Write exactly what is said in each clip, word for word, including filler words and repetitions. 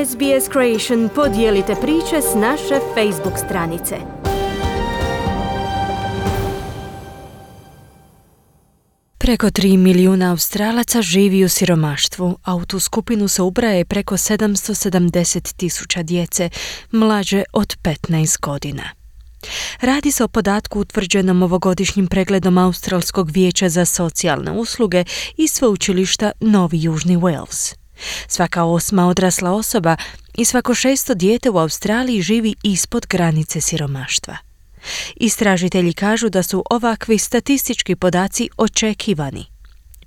S B S Creation podijelite priče s naše Facebook stranice. Preko tri milijuna Australaca živi u siromaštvu, a u tu skupinu se ubraja preko sedamsto sedamdeset tisuća djece mlađe od petnaest godina. Radi se o podatku utvrđenom ovogodišnjim pregledom Australskog vijeća za socijalne usluge i sveučilišta Novi Južni Wales. Svaka osma odrasla osoba i svako šesto dijete u Australiji živi ispod granice siromaštva. Istražitelji kažu da su ovakvi statistički podaci očekivani.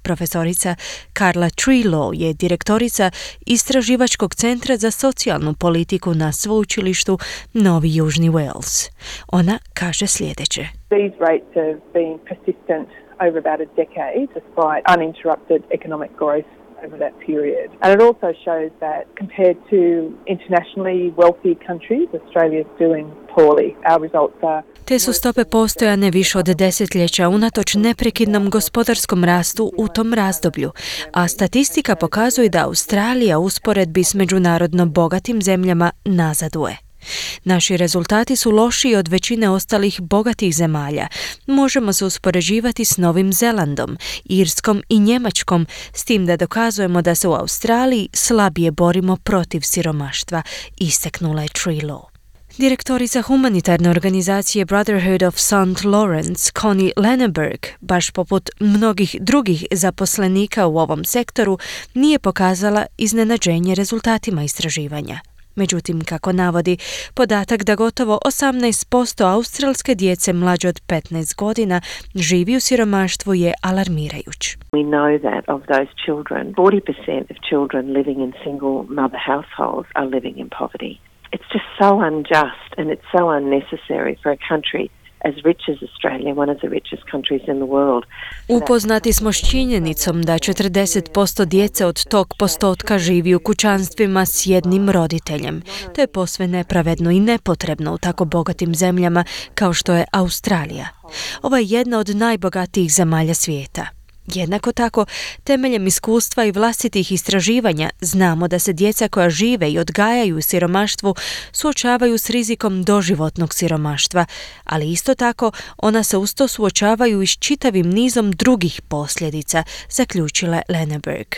Profesorica Carla Treloar je direktorica Istraživačkog centra za socijalnu politiku na sveučilištu Novi Južni Wales. Ona kaže sljedeće. These rates have been persistent over about a decade despite uninterrupted economic growth over that period. And it also shows that compared to internationally wealthy countries, Australia is doing poorly. Our results are Te su stope postojane više od desetljeća unatoč neprekidnom gospodarskom rastu u tom razdoblju, a statistika pokazuje da Australija u usporedbi s međunarodno bogatim zemljama nazaduje. Naši rezultati su lošiji od većine ostalih bogatih zemalja. Možemo se uspoređivati s Novim Zelandom, Irskom i Njemačkom, s tim da dokazujemo da se u Australiji slabije borimo protiv siromaštva, istaknula je Treloar. Direktorica humanitarne organizacije Brotherhood of Saint Lawrence, Connie Lenneberg, baš poput mnogih drugih zaposlenika u ovom sektoru, nije pokazala iznenađenje rezultatima istraživanja. Međutim, kako navodi, podatak da gotovo osamnaest posto australske djece mlađe od petnaest godina živi u siromaštvu je alarmirajuć. We know that of those children, forty percent of children living in single mother households are living in poverty. It's just so unjust and it's so unnecessary for a country as rich as Australia, one of the richest countries in the world. Upoznati smo s činjenicom da četrdeset posto djece od tog postotka živi u kućanstvima s jednim roditeljem. To je posve nepravedno i nepotrebno u tako bogatim zemljama kao što je Australija. Ovo je jedna od najbogatijih zemalja svijeta. Jednako tako, temeljem iskustva i vlastitih istraživanja znamo da se djeca koja žive i odgajaju u siromaštvu suočavaju s rizikom doživotnog siromaštva, ali isto tako ona se uz to suočavaju i s čitavim nizom drugih posljedica, zaključila Lenneberg.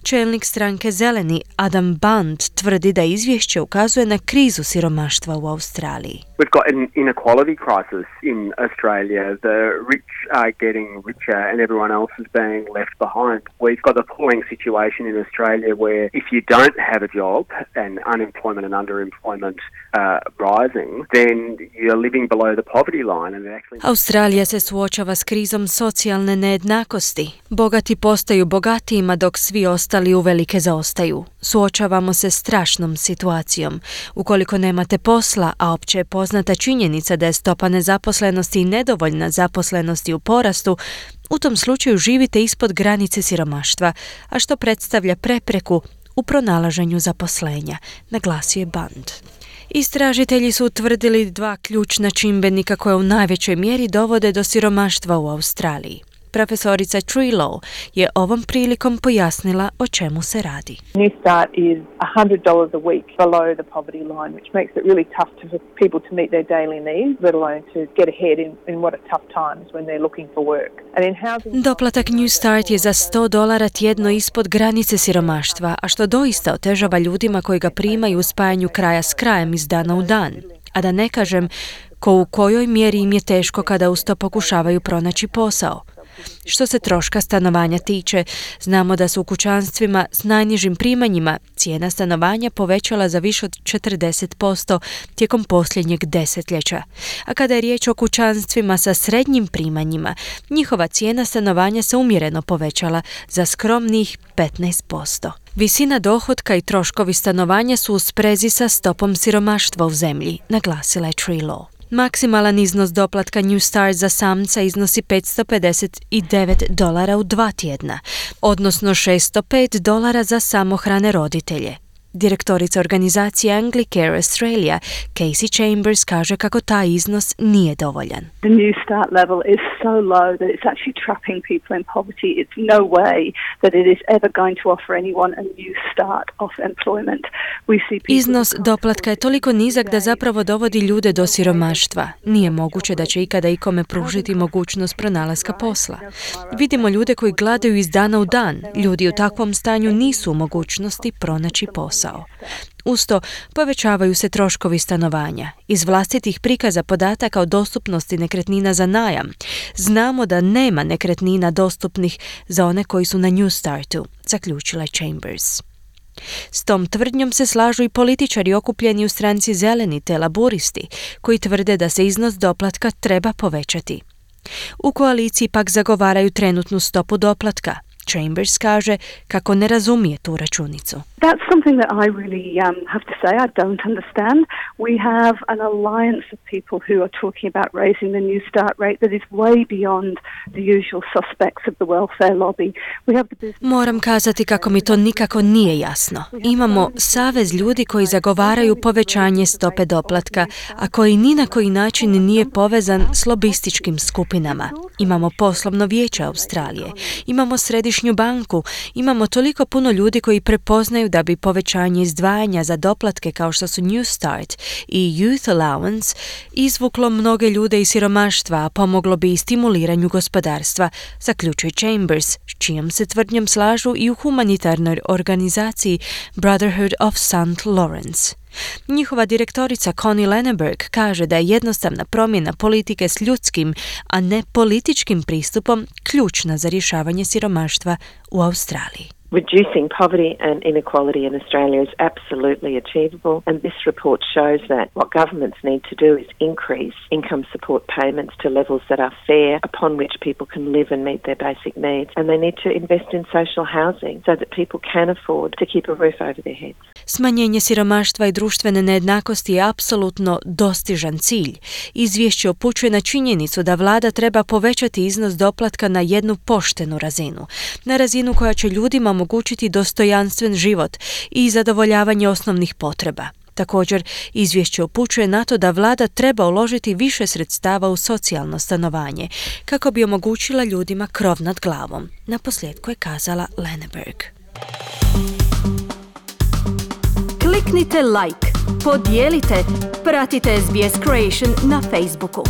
Čelnik stranke Zeleni Adam Band tvrdi da izvješće ukazuje na krizu siromaštva u Australiji. We've got an inequality crisis in Australia. The rich are getting richer and everyone else is being left behind. We've got a appalling situation in Australia where if you don't have a job and unemployment and underemployment uh, rising, then you're living below the poverty line. And it actually... Australija se suočava s krizom socijalne nejednakosti. Bogati postaju bogatijima dok svi ostali uvelike zaostaju. Suočavamo se s strašnom situacijom. Ukoliko nemate posla, a opće je poznata činjenica da je stopa nezaposlenosti i nedovoljna zaposlenosti u porastu, u tom slučaju živite ispod granice siromaštva, a što predstavlja prepreku u pronalaženju zaposlenja, naglasio je Band. Istražitelji su utvrdili dva ključna čimbenika koje u najvećoj mjeri dovode do siromaštva u Australiji. Profesorica Treloar je ovom prilikom pojasnila o čemu se radi. New Start is one hundred dollars a week below the poverty line, which makes it really tough to, for people to meet their daily needs, let alone to get ahead in, in what are tough times when they're looking for work. And in housing... Doplatak New Start je za sto dolara tjedno ispod granice siromaštva, a što doista otežava ljudima koji ga primaju u spajanju kraja s krajem iz dana u dan. A da ne kažem ko u kojoj mjeri im je teško kada uz to pokušavaju pronaći posao. Što se troška stanovanja tiče, znamo da su u kućanstvima s najnižim primanjima cijena stanovanja povećala za više od četrdeset posto tijekom posljednjeg desetljeća. A kada je riječ o kućanstvima sa srednjim primanjima, njihova cijena stanovanja se umjereno povećala za skromnih petnaest posto. Visina dohotka i troškovi stanovanja su u sprezi sa stopom siromaštva u zemlji, naglasila je Treloar. Maksimalan iznos doplatka New Start za samca iznosi petsto pedeset devet dolara u dva tjedna, odnosno šesto pet dolara za samohrane roditelje. Direktorica organizacije Anglicare Australia, Casey Chambers, kaže kako taj iznos nije dovoljan. The New Start level is so low that it's actually trapping people in poverty. It's no way that it is ever going to offer anyone a new start of employment. We see people... Iznos doplatka je toliko nizak da zapravo dovodi ljude do siromaštva. Nije moguće da će ikada ikome pružiti mogućnost pronalaska posla. Vidimo ljude koji gladaju iz dana u dan. Ljudi u takvom stanju nisu u mogućnosti pronaći posao. Usto, povećavaju se troškovi stanovanja. Iz vlastitih prikaza podataka o dostupnosti nekretnina za najam, znamo da nema nekretnina dostupnih za one koji su na New Startu, zaključila Chambers. S tom tvrdnjom se slažu i političari okupljeni u stranci Zeleni te laburisti, koji tvrde da se iznos doplatka treba povećati. U koaliciji pak zagovaraju trenutnu stopu doplatka. Chambers kaže kako ne razumije tu računicu. That's something that I really um, have to say I don't understand. We have an alliance of people who are talking about raising the New Start rate that is way beyond the usual suspects of the welfare lobby. We have the business... Moram kazati kako mi to nikako nije jasno. Imamo savez ljudi koji zagovaraju povećanje stope doplatka, a koji ni na koji način nije povezan s lobističkim skupinama. Imamo poslovno vijeće Australije, imamo središnju banku, imamo toliko puno ljudi koji prepoznaju da bi povećanje izdvajanja za doplatke kao što su New Start i Youth Allowance izvuklo mnoge ljude iz siromaštva, a pomoglo bi i stimuliranju gospodarstva, zaključuje Chambers, s čijom se tvrdnjom slažu i u humanitarnoj organizaciji Brotherhood of Saint Lawrence. Njihova direktorica Connie Lenneberg kaže da je jednostavna promjena politike s ljudskim, a ne političkim pristupom ključna za rješavanje siromaštva u Australiji. Reducing poverty and inequality in Australia is absolutely achievable, and this report shows that what governments need to do is increase income support payments to levels that are fair, upon which people can live and meet their basic needs, and they need to invest in social housing so that people can afford to keep a roof over their heads. Smanjenje siromaštva i društvene nejednakosti je apsolutno dostižan cilj. Izvješće upućuje na činjenicu da vlada treba povećati iznos doplatka na jednu poštenu razinu, na razinu koja će ljudima omogućiti dostojanstven život i zadovoljavanje osnovnih potreba. Također, izvješće upućuje na to da vlada treba uložiti više sredstava u socijalno stanovanje, kako bi omogućila ljudima krov nad glavom. Naposljetku je kazala Lenneberg. Kliknite like, podijelite, pratite S B S Creation na Facebooku.